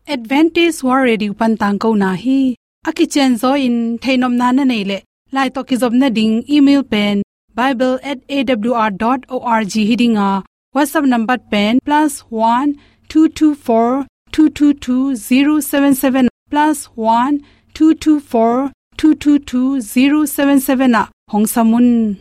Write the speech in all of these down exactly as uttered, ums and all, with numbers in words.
Adventist World Radio pan tangkona hi. A kicianzaw in theihnopna na neih leh, lai tawh kizopna ding email pen bible at A W R dot org hi ding a, WhatsApp number pen plus one two two four two two two zero seven seven, plus one two two four two two two zero seven seven ah hong sam un.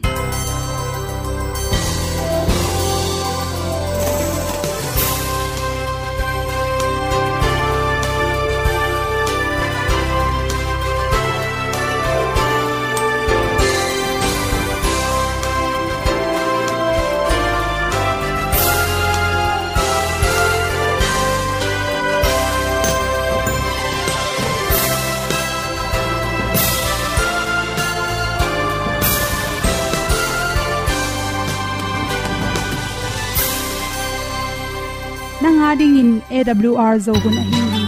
Nang a dingin A W R Zo hun ahi hi.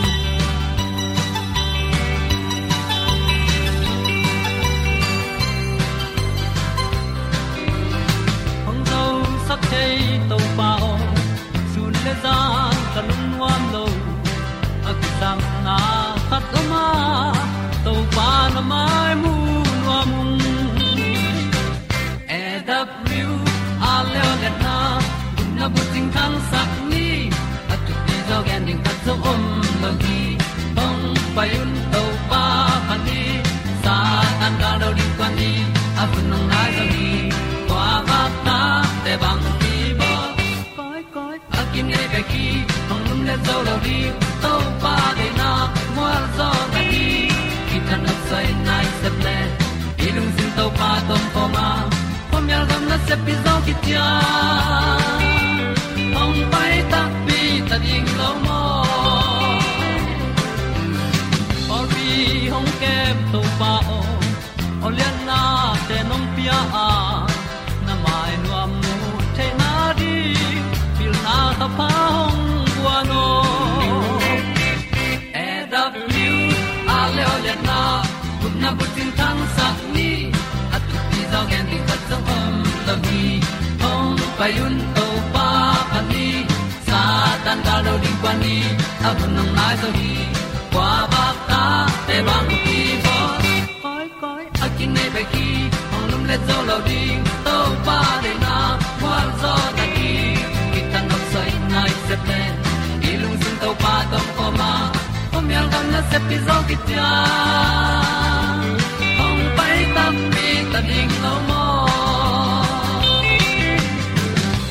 Hong zosak thei Topa aw, sun le zan ka lungnuam lo. A kisangna khat om a, Topa na mai mu nuam ung. A W R Zo hun a bucing thangsak ni, a thupi zaw gen ding khat zong om lo hi. Hong pai un Topa phat ni, Satan gal do ding kuan ni, a hun hong nai zo hi. Kua vak ta te bang hi baw. Koi, koi, a kinei bek hi, hong lum le zo lo ding, Topa deihna mual zaw na hi. Kitang nop soi nai sep le, i lungsim Topa tawh kawm a, khuamial gam nasep pi zaw kician. Hong pai takpi ta ding lo maw. Pawlpi hong kem Topa aw, aw lianna te nong pia a, na mai nuam mu theihna ding, pilna thapha hong guan aw. A W R Zo hun a gupna bucing thangsak ni, a thupi zaw gen ding khat zong om lo hi. Hong pai un Topa phat ni, Satan gal do ding kuan ni, a hun hong nai zo hi. Kua vak ta te bang hi baw. Koi, koi, a kinei bek hi, hong lum le zo lo ding, Topa deihna mual zaw na hi. Kitang nop soi nai sep le, i lungsim Topa tawh kawm a, khuamial gam nasep pi zaw kician. Hong pai takpi ta ding lo maw.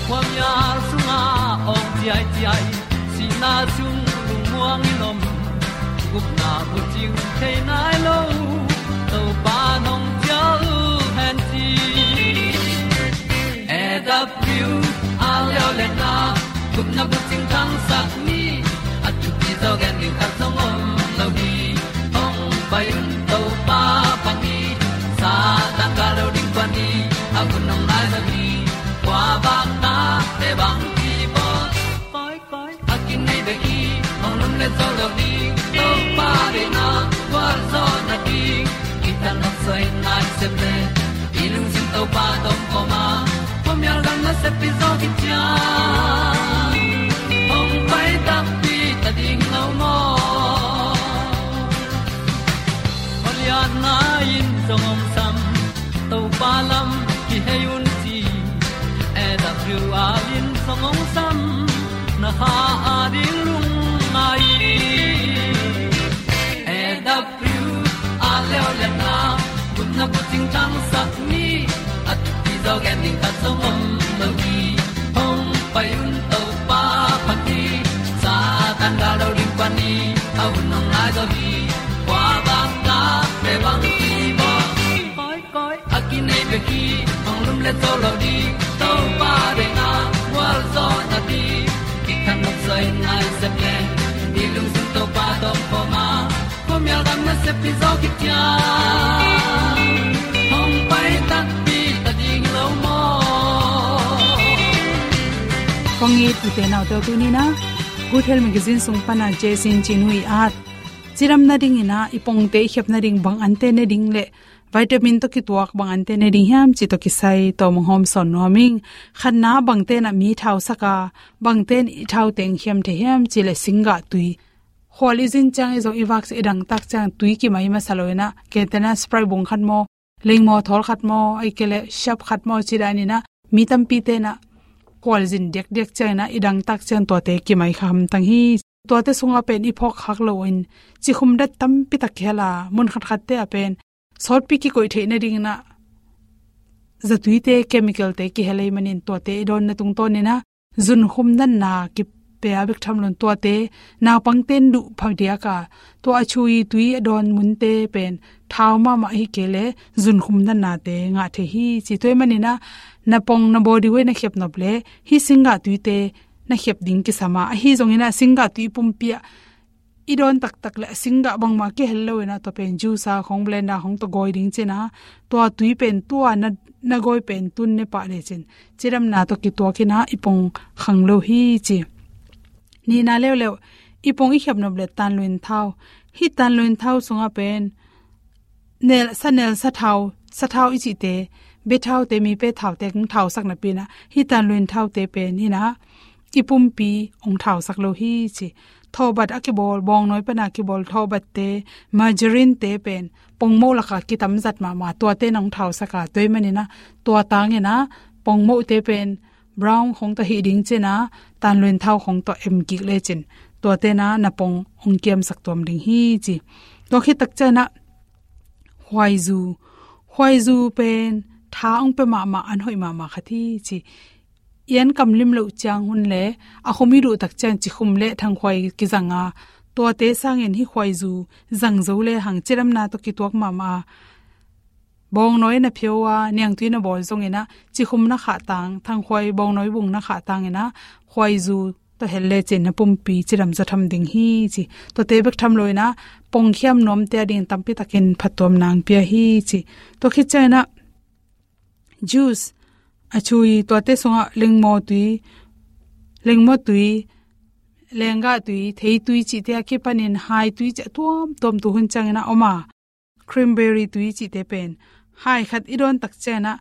Khuamial sungah awng ciaiciai, sihna sung lungmuang in om, gupna bucing thei nai lo, Topa nong cial hen ci. A W R Zo hun a gupna bucing thangsak ni, a thupi zaw gen ding khat zong om lo hi. Hong pai un Topa phat ni, Satan gal do ding kuan ni, a hun hong nai zo hi. Kua vak ta te bang hi baw. Koi, koi, a kinei bek hi, hong lum le zo lo ding, Topa deihna mual zaw na hi. Kitang nop soi nai sep le, i lungsim Topa tawh kawm a, khuamial gam nasep pi zaw kician. Hong pai takpi ta ding lo maw. Aw lianna in zong hong sam, Topa lam kihei un ci. A W R in zong hong sam, na kha a ding lungngai. A W R Zo hun a gupna bucing thangsak ni, a thupi zaw gen ding khat zong om lo hi. Hong pai un Topa phat ni, Satan gal do ding kuan ni, a hun hong nai zo hi. Kua vak ta te bang hi baw. Koi, koi, a kinei bek hi, hong lum le zo lo ding, Topa deihna mual zaw na hi. Kitang nop soi nai sep le, i lungsim Topa tawh kawm a, khuamial gam nasep pi zaw kician. Hong pai takpi ta ding lo maw. Kong it u te nau te, tuni in a Good Health Magazine sung pan a Jessy Chin Hui at, cidam nading in a, i pongte i khep nading bang ante ne ding le vitamin tawh kituak bang ante ne ding hiam cih tawh kisai tawm hong hawmsawn nuam ing. Khatna, bangte in a mi thau sak a, bangte in i thau teng khiam thei hiam cih leh singgah tui Khual i zin ciang i zong i vak ciang i dangtak ciang tui kimai masa lo inah, kei tena Sprite bung khat maw, lengmaw thawl khat maw, ahih kei leh Shark khat maw ci dan inah, mi tampi tenah khual zin diakdiak ciang inah i dangtak ciang tuate kimai kha hamtang hi. Tuate sungah pen i phawk khak lo in cikhum dat tampi tak kihel a, mun khatkhatte ah pen sawtpi kikoih theih nading inah zatuite, chemicalte kihel ahih manin tuate i dawnna tungtawn inah zunkhum natna kipia bek tham lo in tuate naupangte in duh phadiak a, tua a chui tui a dawn munte pen thau mahmah ahih kei leh zunkhum natnate ngah thei hi ci. Tua ahih man inah na pong na body weight na khiap nop leh hih singgah tuite na khiap ding kisam a, ahi zong inah singgah tui pumpi ah i dawn taktak leh a singgah bangmah kihel lo inah tua pen juice a khong, blender khong tawh gawi ding ci inah, tua tui pen tua na, na gawi pen tun ne pah lecin cidamna tawh kituak inah i pong khang lo hi ci. Nihna leuleu, i pong i khiap nop leh tanluin thau. Hih tanluin thau sungah pen nel, sa nel, sa thau, sa thau i cihte, bia thaute, mi pe thaute hong thausak napi inah hih tanluin thaute pen inah i pumpi hong thausak lo hi ci. Thawhbat a kibawl, bawngnawi pana kibawl thawhbatte, margarine-te pen pongmoh lakah kitamzat mahmah, tuate in hong thausak a, tua ahih man inah tua tang inah pongmohte pen brown khong tawh hih ding ci inah tanluin thau khong tawh em kik lecin tuate inah na pong hong kiamsak tuam ding hi ci. Tua khit tak ciang inah khuaizu. Khuaizu pen tha hong pia mahmah, an hoih mahmah khat hi ci. I an kam lim loh ciang hun leh a khum i duh tak ciang cikhum leh thangkhuai kizang a, tuate sangin hih khuaizu zang zo lehang cidamna tawh kituak mahmah a, bawngnawi na phio a, niangtui na bawl zong inah cikhum na khah tang, thangkhuai bawngnawi bung na khah tang inah khuaizu tawh hel lecin na pumpi cidam zaw tham ding hi ci. Tuate bek tham lo inah pongkhiam nuamte a ding tampi takin phattuamna hong pia hi ci. Tua khit ciang inah juice a chui, tuate sungah lengmaw tui, lengmaw tui, lenggah tui, theitui cihte a kipanin hai tui cih a tuamtuam tu hun ciang inah om a, cranberry tui cihte pen hai khat i dawn tak ciang inah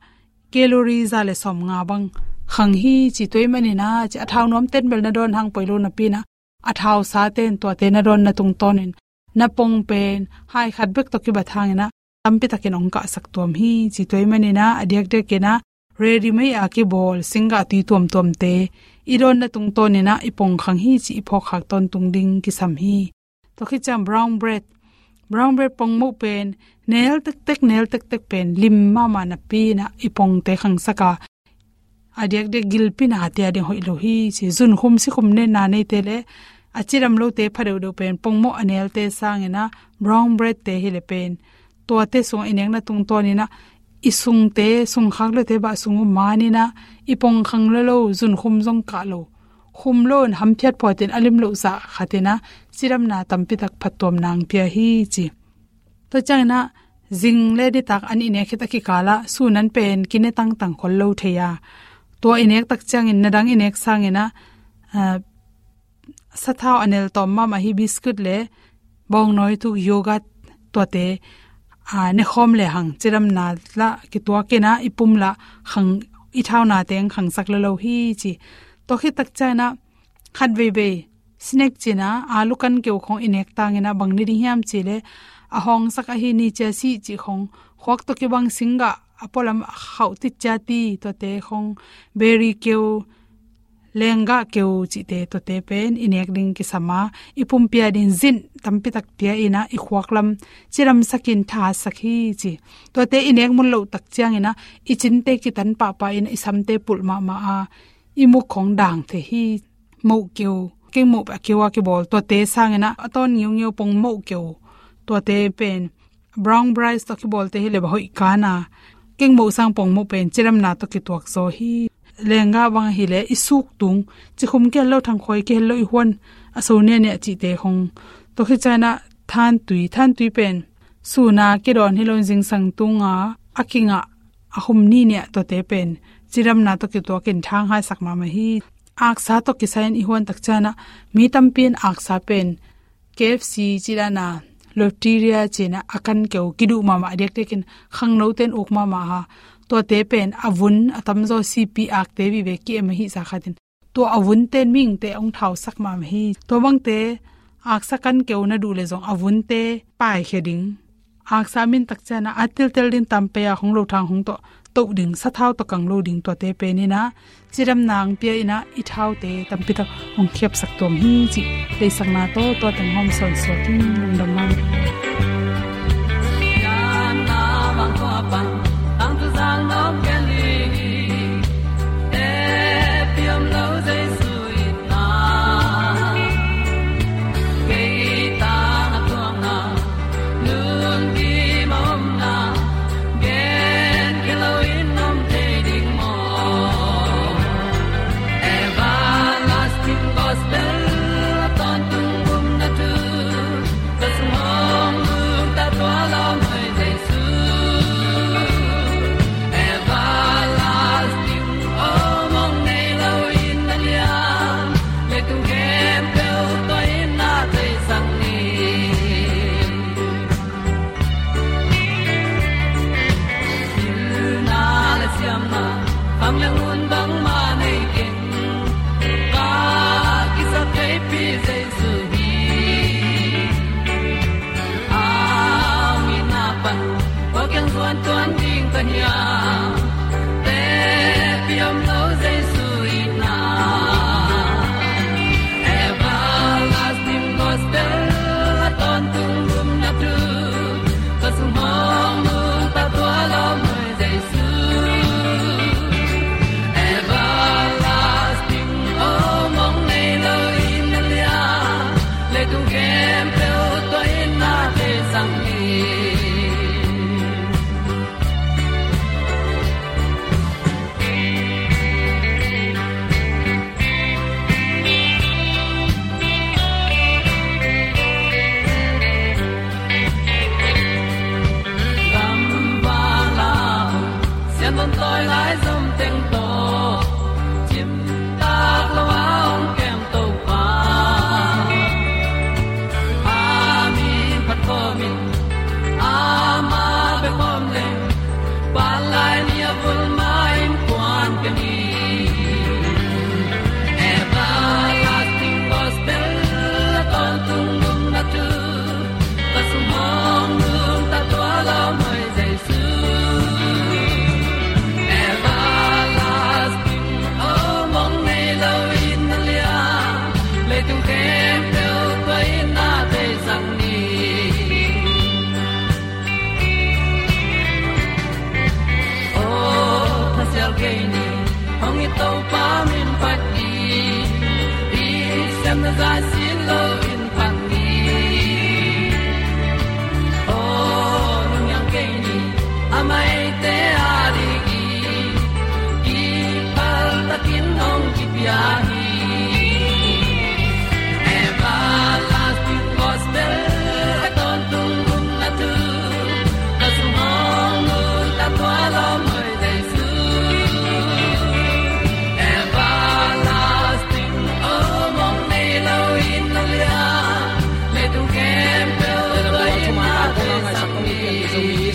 calorie za leh sawmnga bang khang hi ci. Tua ahih man inah ci, a thau nuamte in bel na dawn hang poi lo napi inah a thausa ten tuate na dawnna tungtawnin na pong pen hai khat bek tawh kibat hang inah tampi takin hong kahsak tuam hi ci. Tua ahih man inah a diakdiak inah ready-made a kibawl singgah tui tuamtuamte i dawnna tungtawn inah i pong khang hi ci i phawk khak tawntung ding kisam hi. Tua khit ciang brown bread. Brown bread pongmoh pen nel tektek, nel tektek pen lim mahmah napi inah i pongte khangsak a, a diakdiak gilpi nate a ding hoih lo hi ci. Zunkhum sikhum netna neite leh a cidam lote pha deuhdeuh pen pongmoh a nelte sang inah brown bread-te hi leh pen tuate sungah i nekna tungtawn inah i sungte, sungkhak lote bah sung uh man inah i pong khang lo lo, zunkhum zong kah lo, khum lo in hamphiat phuatin a lim loh zah khat inah cidamna tampi tak phattuamna hong pia hi ci. Tua ciang inah zing leh nitak an i nek khit a kikal ah sun an pen kine tangtang khol lo thei a, tua i nek tak ciangin na dang i nek sang inah, ah, sathau a nel tawm mahmah hi biscuit leh bawngnawi tuk, yogurt, tuate, ah, ne khawm lehang cidamna lah kituak inah i pum lah khang, i thaunate hong khangsak lo lo hi ci. Tua khit tak ciang inah khat veivei snack ci inah alu kan keu khong i nek tang inah bang ni ding hiam cih leh a hawngsak ahi ni chia seed cih khong, khuak tawh kibang singgah a pualam a khauh tit chia ti, tuate khong, berry keu, lenggah keu cihte, tuate pen i nek ding kisam a, i pumpi a ding zinc tampi tak pia inah i khuak lam cidamsak in thasak hi ci. Tuate i nek mun loh tak ciang inah i cinte kitan pahpah inah i samte pulh mahmah a, i muk khong dang thei hi. Moh keu, kengmoh a keu a kibawl, tuate sang inah a tawn ngiungeu pongmoh keu, tuate pen brown rice tawh kibawlte hi leh bah hoih kan a, kengmoh sang pongmoh pen cidamna tawh kituak zaw hi. Lenggah bang hi leh i suk tung, cikhum kihel lo, thangkhuai kihel lo, i huan a so nianiah cihte khong. Tua khit ciang inah thantui, thantui pen sun a kidawn hi lo in zingsang tung a, a kingah a khum niniah, tuate pen cidamna tawh kituak in thanghaisak mahmah hi. Aksa tawh kisai in i huan tak ciang inah mi tampi in aksa pen K F C ci dan a, loteria ci inah a kan keu kiduh mahmah, a diakdiak in khangnote in uk mahmah a, tuate pen a vun a tamzaw sipi akte vive ki-em ahih zah khat in tua a vunte in mihingte hong thausak mahmah hi. Tua bangte aksa kan keu na duh le zong a vunte paikhia ding. Aksa min tak ciangin a tiltel ding, tam pei a hong lo thang hong toh, toh ding, sathau tawh kang lo ding, tuate pen in a, cidamna hong pia in a, i thaute tampi tak hong khiapsak tuam hi cih deihsakna tawh tua teng hong sawnsuak hi. Lungdam mah.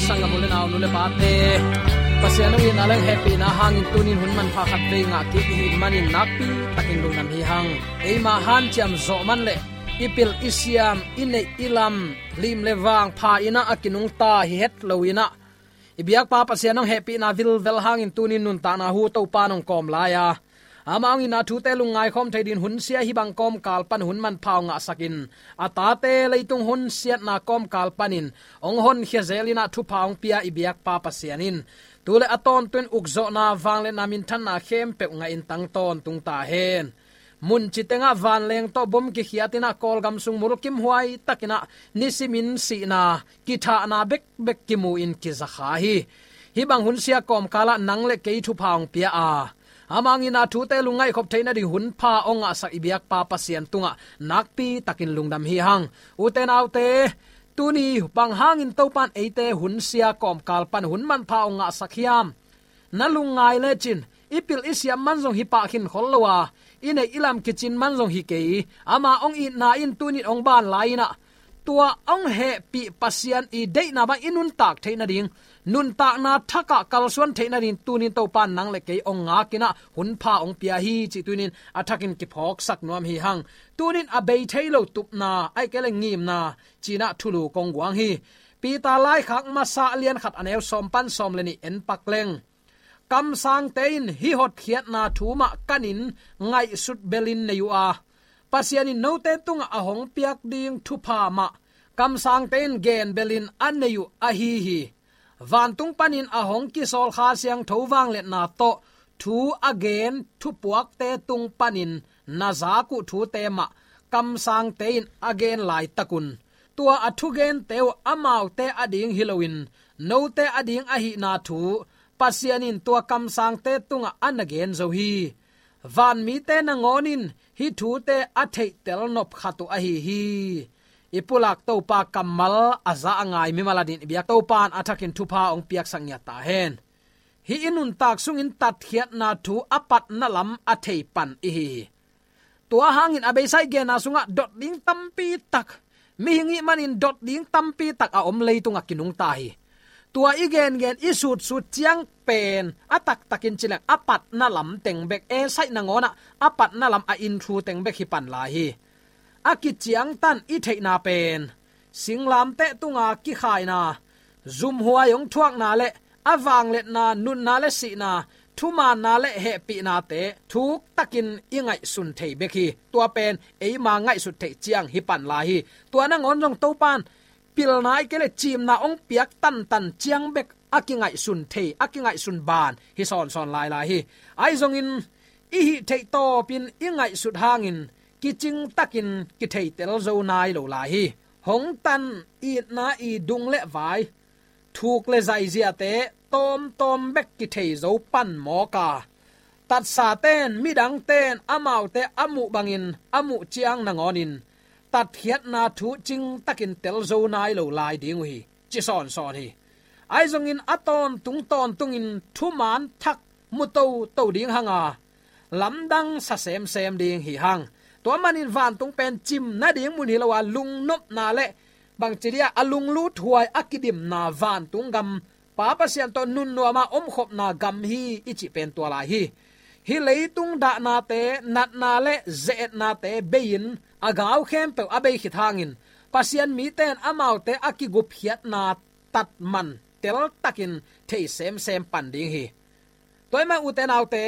Sanggam u le nau, nu le pate, Pasian hong itna le hehpihna hangin tunin hun manpha khat vei ngah kik i hih manin nakpi takin lungdam hi hang. Eima hanciam zawh man le i pil i siam, i neih i lam, lim le vang pha in a kinungta hi het lo in a, i biakpa Pasian hong hehpihna vilvel hangin tunin nuntakna hu Topa nong kawm lai a, ama hong itna thute lungngai khawm thei din hun sia hih bang kawmkal pan hun manpha hong ngahsakin, a tate leitung hun siatna kawmkal panin hong honkhia zel in a thupha hong pia i biakpa Pasian in tu le a tawntung ukzawhna, vangliatna, minthanna khempeuh ngahin tang tawntung ta hen. Munci tengah vanleng tawh bom kikhiat in a Kawlgam sung mulkimhuai takin a nisimin sihna, kithahna bekbek kimu in kizakha hi. Hih bang hun sia kawmkal ah nang le kei thupha hong pia a, ama hong itna thute lungngaih khop theihna ding hun pha hong ngahsak i biakpa Pasian tungah nakpi takin lungdam hi hang. Ute naute, tuni bang hangin Topan eite hun sia kawmkal pan hun manpha hong ngahsak hiam? Na lungngai lecin, i pil i siam man zong hi pah khin khol lo a, i neih i lam kicin man zong hi kei. Ama hong itna in tunin hong ban lai in a, tua hong hehpih Pasian i deihna bang i nuntak theihna ding nuntakna thakah kalsuan theih nading tunin Topa in nang le kei hong ngakin ah hunpha hong pia hi cih tunin a thakin kiphawksak nuam hi hang. Tunin a bei thei lo tupna, ahih kei leh ngimna ci-in ah thulu kong guang hi. Peter laikhak masa a lian khat a neu sawm pan sawm le nih en pak leng, kamsangte in hih hotkhiatna thu mah kanin ngaihsut belin nei uh a, Pasian in note tungah a hong piak ding thupha mah kamsangte in gen belin a nei uh ahi hi. Vantung panin a hong kisawl Kha Siangtho vangliatna tawh thu a gen thupuakte tung panin na zak uh thute mah kamsangte in a gen laitakun, tua a thugente uh amaute ading hi loin note ading ahihna thu Pasian in tua kamsangte tungah a na gen zo hi. Vanmite nangawn in hih thute a theihtel nop khat uh ahi hi. I pulak Topa kammal a za a ngai mimal adingin i biak Topa in a thakin thupha hong piaksak ngiat ta hen. Hih i nuntak sungin tatkhiatna thu a patna lam a thei pan i hi hi. Tua hangin a beisa i genna sungah dot ding tampi tak, mihing ih manin dot ding tampi tak a om leitungah kinungta hi. Tua i gengen i sutsut ciang pen a taktakin ci leng a patna lam teng bek, Esai nangawn ah a patna lam a inthu teng bek hi pan lai hi. A kiciangtan i theihna pen singlamteh tunga kikhaina, zumhuai hong thuakna le a vangliatna, nunna le sihna, thumaanna le hehpihnate thuktakin i ngaihsun thei bek hi. Tua pen eima ngaihsut theih ciang hi pan lai hi. Tua nangawn zong Topa in pilna ahih kei leh cimna hong piak tantan ciang bek a kingaihsun thei, a kingaihsun ban hi sawnsawn lailai hi. Ahi zongin i hih theih tawpin i ngaihsut hangin kicingtakin kitheitel zo nai lo lai hi. Hong tan itna i dung le vai, thuk le zaiziate tawmtawm bek kithei zo pan mawk a, tatsaten, midangten amaute a muh bangin a muh ciang nangawnin tatkhiatna thu cingtakin tel zo nai lo lai ding uh hi, ci sawnsawn hi. Ahi zongin a tawntung tawntungin thumaan thak mu toto ding hanga lamdang sa semsem ding hi hang. Tua manin vantung pen cim nading mun hi lo a, lungnopna le bangci dia a lunglut huai a kidimna vantung gam, Pa Pasian tawh nunnuama omkhopna gam hi i cih pen tua lai hi. Hih leitung dahnate, natna le ze-etnate bei-in a gau khempeuh a bei khit hangin Pasian mite in amaute a kigupkhiatna tatman teltakin thei semsem pan ding hi. Tua ahih man ute naute,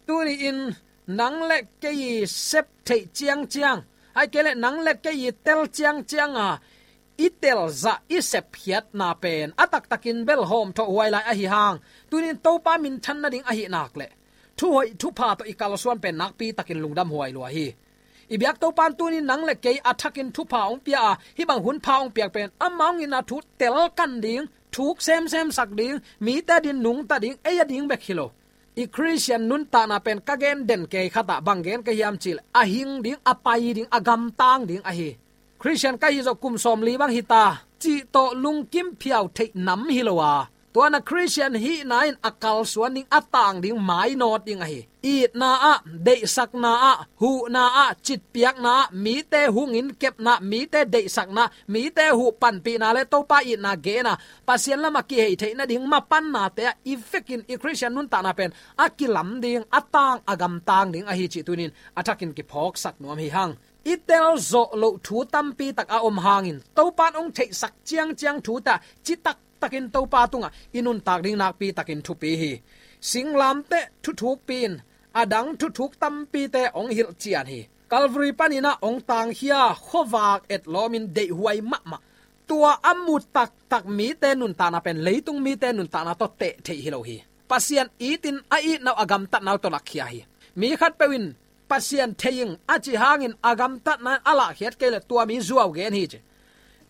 tuni-in nang le kei i sep theih ciangciang, ahih kei leh nang le kei i tel ciangcianga i telzah i sepkhiatna pen a taktakin bel hawmthawh huai lai ahi hang, tuni-in Topa minthan nading ahih nak leh thuhoih thupha tawh i kalsuan pen nakpitakin lungdam huai lua hi. I biak Topa in tuni-in nang le kei a thakin thupha hong pia a, hih bang hunpha hong piak pen amah hong itna thu telkan ding, thuk semsemsak ding, mite adingin nungta ding, ei ading bek hi lo. I Khristian nuntakna pen ka gen den kei khatah bang gen ka hiam cih leh a hing ding, a pai ding, a gamtang ding ahi. Khristian ka hih zawh kum sawmli bang hi ta cih tawh lungkim phiau theih nam hi lo a, tua na Khristian hihna in a kalsuan ding, a tang ding, mainawt ding ahi. Itna ah, deihsakna ah, huhna ah, citpiakna ah, mite hungin kepna, mite deihsakna, mite huh panpihna le Topa itna gena Pasian lamah kihei theih nading mapannate ah i vekin i Khristian nuntakna pen a kilam ding, a tang, a gamtang ding ahi cih tuni-in a thakin kiphawksak nuam hi hang. I telzawh loh thu tampi tak a om hangin Topa in hong theihsak ciangciang thute ah citak takin Topa tungah i nuntak ding nakpitakin thupi hi. Singlamteh thuthukpi in a dang thuthuk tampite hong hilhcian hi. Calvary panin ah hong tangkhia khuavak etlawmin deihhuai mahmah, tua a mu taktak mite nuntakna pen leitung mite nuntakna tawh teh theih hi lo hi. Pasian itin a itna uh, a gamtatna uh tawh lakkhia hi. Mi khatpeuh in Pasian thei ing a cih hangin a gamtatna in a lahkhiat kei leh tua mi zuau gen hi ci.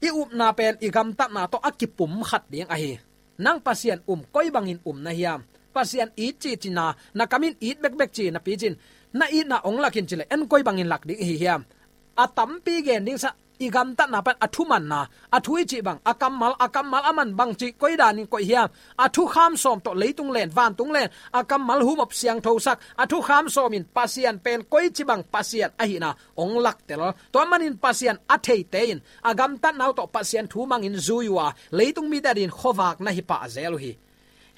I upna pen i gamtatna tawh a kipumkhat ding ahi. Nang Pasian um koi bangin um na hiam? Pasian it cihcihna, na kamin it bekbek ci napi cin, na itna hong lak in ci leh en koi bangin lak ding ihi hiam? A tampi gen ding sa, i gamtatna pan a thumanna, a thu i cih bang, a kammal, a kammal a man bang cih koi danin koih hiam, a thukham sawm tawh leitung len, vantung len, a kammal humop siangthosak, a thukham sawmin Pasian pen koici bang Pasian ahihna hong laktel. Tua manin Pasian a theite in a gamtatna uh tawh Pasian thu mangin zui uh a, leitung mite adingin khuavak na hi pah zel uh hi.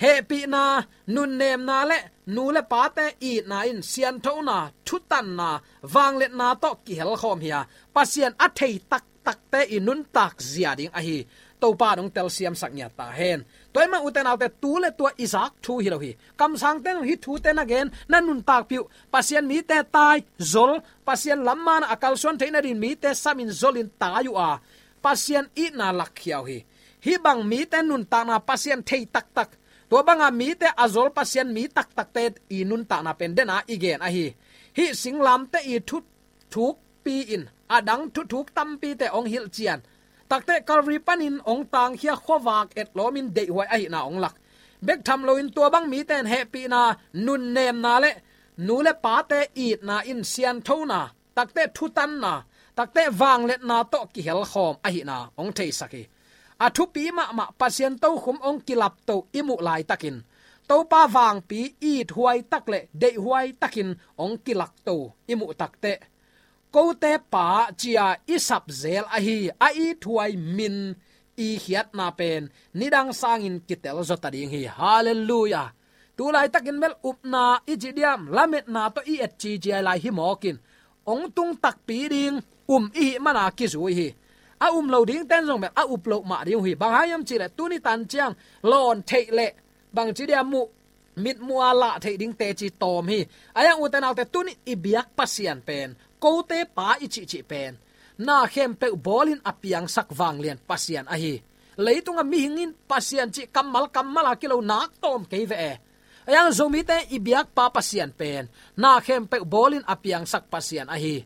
Hehpihna, nunnemna le nu le pate itna in sianthona, thutanna, vangliatna tawh kihelkhawm hi a, Pasian a thei taktakte i nuntak zia ding ahi. Topa in hong telsiamsak ngiat ta hen. Tua ahih manin ute naute, tu le tua i zak thu hi lo hi. Kamsangte in hong hih thute na gen, na nuntakpih uh. Pasian mite tai, zol, Pasian lam man a kalsuan theih nadingin mite samin zolin tai uh a, Pasian itna lakkhia uh hi. Hih bang mite nuntakna Pasian thei taktak, tua banga mite a zol Pasian mi taktakte i nuntakna pen dena i gen ahi. Hih singlamteh i thuthukpi in a dang thuthuk tampite hong hilhcian, takte Calvary panin hong tangkhia, khuavak etlawmin deihhuai ahihna hong lak. Bek tham loin tua bang mite in hehpihna, nunnemna le nu le pate itna in sianthona, takte thutanna, takte vangliatna tawh kihelkhawm ahihna hong theisak hi. A thupi mahmah Pasian tokhom hong kilapto i muh laitakin, Topa vangpi ithuai tak le deihhuai takin hong kilakto i muh takteh, kote Pa ci-a i sap zel ahi a ithuai min i khiatna pen nidang sangin kitel zawta ding hi. Halleluiah. Tulaitakin bel upna i ci diam, lametna tawh i et cici a, hih lai hi mawkin hong tung takpi ding, um i hih mana kizui hi. A um lo dingte in zong bel a up loh mah ding uh hi. Bang hang hiam cih leh tuni tan ciang lawn theih leh bangci dia muh, mitmuh a lah theih ding teci tawm hi. Ahih hang ute naute, tuni i biak Pasian pen, kote Pa i cihcih pen, na khempeuh bawlin a piangsak vanglian Pasian ahi. Leitunga mihing in Pasian cih kammal kammal a kilo nak tawm kei ve e. Ahih hang Zomite i biakpa Pasian pen, na khempeuh bawlin a piangsak Pasian ahi.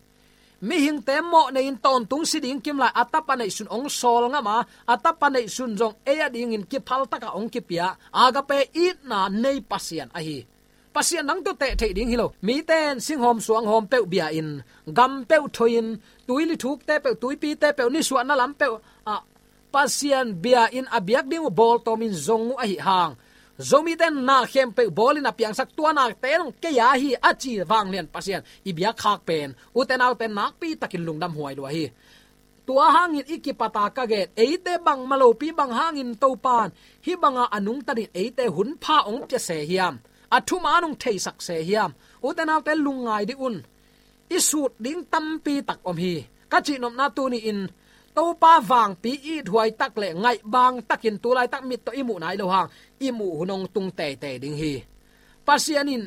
Mihingte mawh nei-in tawntung si ding kimlai a Tapa neihsun hong sawl ngam a, a Tapa neihsun zong ei adingin kiphaltaka hong kipia, agape itna nei Pasian ahi. Pasian dang tawh teh theih ding hi lo. Mite in singhawm suanghawm peuh bia-in, gam peuh thoi-in, tuili thukte peuh, tuipite peuh, nisuahna lam peuh ah Pasian bia-in a biak ding uh bawltawmin zong uh ahih hang, Zomite in na khempeuh bawlin a piangsak, tua nakte in hong kei a hi a ci vanglian Pasian i biakkhak pen, ute naute, nakpitakin lungdam huai lua hi. Tua hangin i kipata ka gen, eite bangmah lopi bang hangin Topan hih banga a nungtanin eite hunpha hong pia se hiam, a thuman hong theisak se hiam, ute naute, lungngai dih un. I sut ding tampi tak om hi. Ka cihnopna tuni-in, Topa vangpi ithuai tak le ngaihbang takin tulaitak mit tawh i muh nai lo hang, i muh hun hong tung teitei ding hi. Pasian in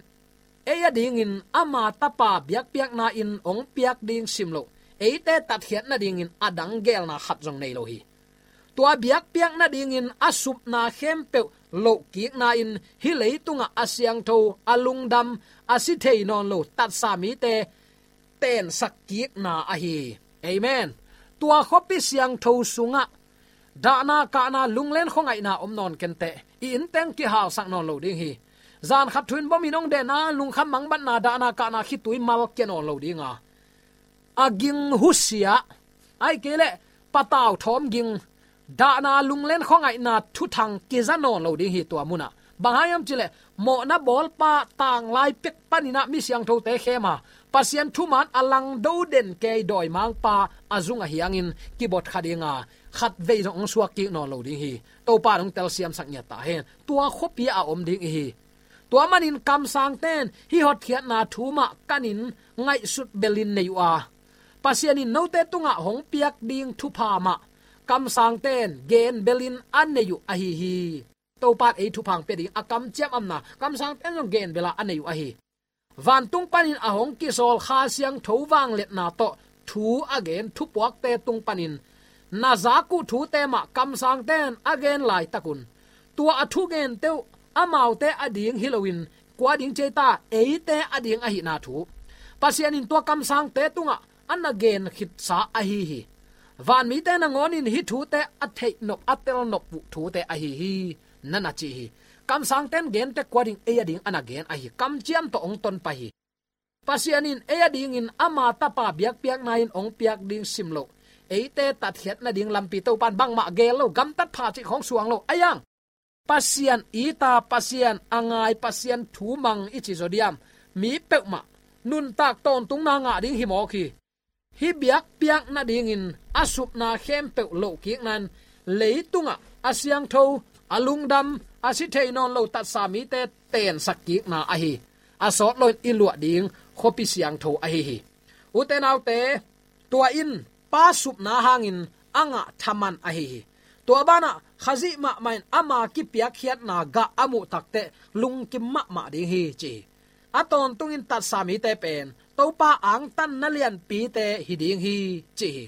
ei adingin ama Tapa biakpiakna in hong piak ding sim loh, eite tatkhiat nadingin a dang geelna khat zong nei lo hi. Tua biakpiak nadingin a supna khempeuh lohkikna in hih leitungah a siangtho, a lungdam, a si thei nawn lo tatsa mite tensak kikna ahi. Amen. Tua khuapi siangtho sungah dahna kahna, lunglen khuangaihna om nawn kenteh, i innteng kihalsak nawn lo ding hi. Zan khat thu-in bomin hong den a, lungkham mangbatna, dahna kahna khitui mal kia nawn lo ding a, a ging husia, ahih kei leh patau thawm ging, dahna, lunglen khuangaihna thuthang kiza nawn lo ding hi tua munah. Bang hang hiam cih leh mawhna bawlpa tanglai pek paninah mi siangthote khem a, Pasian thuman a langdo den kei dawimangpa a zung ahi hangin kibot kha ding a, khatvei zong hong suak kik nawn lo ding hi. Topa in hong telsiamsak ngiat ta hen. Tua khuapi a om ding i hi. Tua manin kamsangte in hih hotkhiatna thu mah kanin ngaihsut belin nei uh a, Pasian in note tungah hong piak ding thupha mah kamsangte in gen belin a nei uh ahi hi. Topa in ei thupha hong pia ding a kamciam amna kamsangte in zong gen bela a nei uh ahi. Vantung panin a hong kisawl Kha Siangtho vangliatna tawh thu a gen thupuakte tung panin na zak uh thute mah kamsangte in a gen laitakun, tua a thugente uh amaute ading hi loin kua ding ci ei ta, eite ading ahihna thu Pasian in tua kamsangte tungah a na gen khitsa ahi hi. Vanmite nangawnin hih thute a theihnop, a telnop uh thute ahi hi, na na ci hi. Kamsangte in gen teh kua ding, ei ading a na gen ahi. Kamciam tawh hong tonpih hi. Pasian in ei adingin ama Tapa biakpiakna in hong piak ding sim loh, eite tatkhiat nading lampi Topa'n bangmah geel lo, gamtat pha cih khawng suang lo. Ahi hang Pasian it a, Pasian a ngai, Pasian thu mang i cih zaw diam, mi peuhmah nuntak tawntungna ngah ding hi mawk hi. Hih biakpiak nadingin a supna khempeuh lohkikna in leitungah a siangtho, a lungdam, a si thei nawn lo tatsa mite teensakkikna ahi hi. A sawt loin i luah ding khuapi siangtho ahi hi. Ute naute, tua in Pa supna hangin a ngah thaman ahi hi. Tua banah Khazih mahmah in ama kipiakkhiatna gah a muh takteh lungkim mahmah ding hi, ci hi. A tawntungin tatsa mite pen Topa angtanna lianpite hi ding hi, ci hi.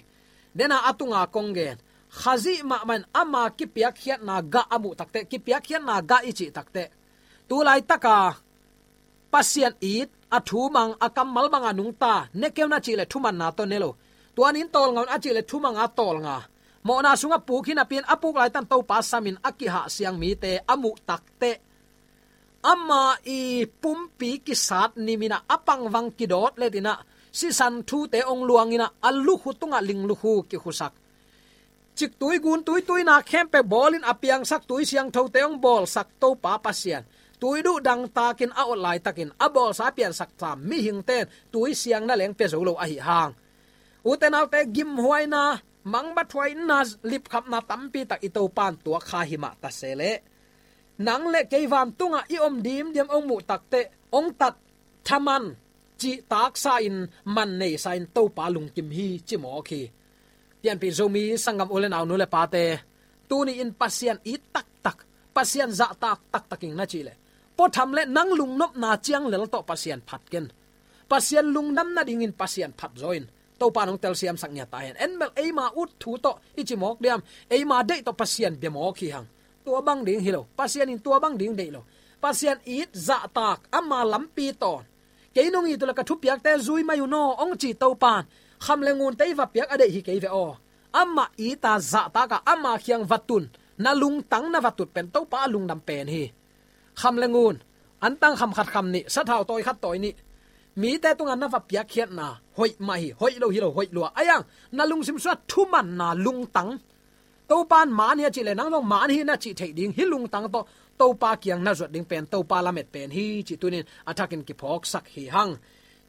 Dena a tunga kong gen, Khazih mahmah in ama kipiakkhiatna gah a muh takteh, kipiakkhiatna gah i cih takteh, tu laitaka Pasian it, a thu mang, a kammal banga nungta, ne kei un a cih leh thumanna tawh ne lo. Tua ni in tawlnga un a cih leh thumanga tawlnga. Mawhna sungah puk hi napi in a puk laitan Topa samin a kihahsiang mite a muh takteh, ama i pumpi kisat niminah a pangvang kidawt letinah sisan thute hong luanginah a lukhu tungah linglukhu kikhusak, ciktui guntui tuinak khempeuh bawlin a piangsak tui siangthote hong bawlsak Topa Pasian, tui duh dangtakin a ot laitakin a bawlsa a piansak sam mihingte in tui siang na leng pia zo lo ahi hang, ute naute, gimhuaina, mangbathuaina, lipkhapna tampi tak i Topa in tuak kha hi mah ta se leh, nang le kei vantungah i om dimdiam hong muh takteh hong tat thaman, cihtaksa in man neisa in Topa lungkim hi, ci mawk hi. Pianpih Zomi sanggam u le nau, nu le pate, tuni in Pasian it taktak, Pasian zahtak taktak ing na cih leh, puatham le nang lungnopna ciang lel tawh Pasian phat ken. Pasian lungdam nadingin Pasian phat zaw in. Topa in hong telsiamsak ngiat ta hen. En bel eima ut thu tawh i ci mawk diam, eima deih tawh Pasian bia mawk hi hang. Tua bang ding hi lo. Pasian in tua bang ding deih lo. Pasian it, zahtak, ama lampi tawn. Kei nong it uh leh ka thupiakte zui mai un aw, hong ci Topa in kham le ngunte i va piak a deih hi kei ve aw. Amah it a, zahtak a, ama kiang va tun, na lungtang na va tut pen Topa a lungdam pen hi. Kham le ngun, antang kham khat kham nih, sathau tawi khat tawi nih, mite tungah na va piakkhiatna hoih mah hi. Hoih lo hi lo, hoih lua. Ahi hang na lungsim sungah thumanna lungtang, Topa in man hi a cih leh nang zong man hi na cih theih ding hih lungtang tawh Topa kiang na zuat ding pen Topa lamet pen hi, cih tuni in a thakin kiphawksak hi hang.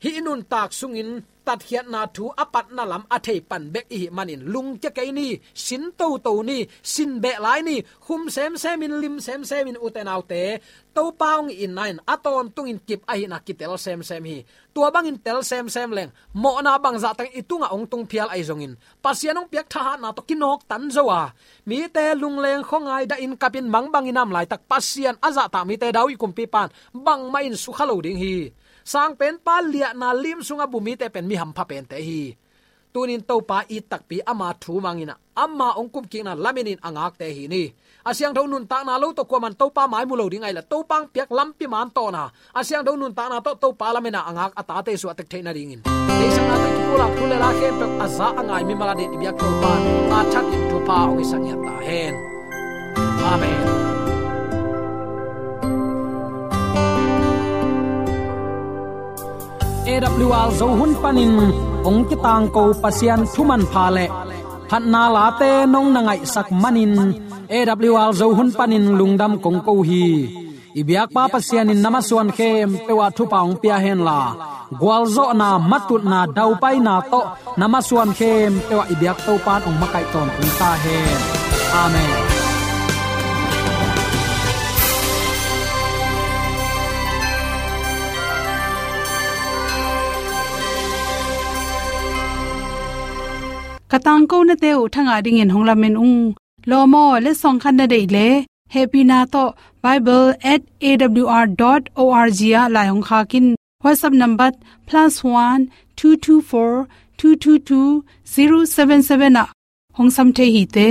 Hih i nuntak sungin tatkhiatna thu a patna lam a thei pan bek i hih manin lungkia kei ni, sin toto ni, sin beh lai ni, khum semsem in, lim semsem in, ute naute, Topa hong itna in a tawntungin kip ahihna kitel semsem hi. Tua bangin tel semsem leng, mawhna bangzah teng i tungah hong tung phial ahi zongin, Pasian hong piak thahatna tawh kinawktan zo a, mite lungleng khuangai dahin kapin mangbangin a om laitak Pasian a zahtak mite David kumpipa in bangmah in sukha lo ding hi. Sangpenpa liahna lim sungah bu mite pen mi hampha pente hi. Tunin Topa it takpi, ama thu manginah ama hong kumkikna lamenin a ngakte hi ni. A siangtho nuntakna lo tawh kuaman Topa mai mu lo ding ahih leh Topa hong piak lampi man tawna a siangtho nuntakna tawh Topa lamena a ngak a tate suah tek theih nadingin, deihsakna tawh kipulak thu le la khempeuh a za a ngai mimal adingin i biak Topa in a thakin thupha hong hisak ngiat ta hen. Amen. A W R Zo hun panin hong kitangko Pasian thu manpha le phatna late nong na ngaihsak manin A W R Zo hun panin lungdam kong ko hi. I biakpa Pasian in na masuan khempeuh ah thupha hong pia henla, gualzawhna, matutna, daupaina tawh na masuan khempeuh ah i biak Topa in hong makaih tawntung ta hen. Amen. Ka tangkonate uh thangah dingin hong lamen ung. Lawm aw, letsong khat na deih leh hehpihna tawh bible at A W R dot O R G ah lai hong khak in. WhatsApp number plus one two two four two two two zero seven seven ah hong sam thei hi te.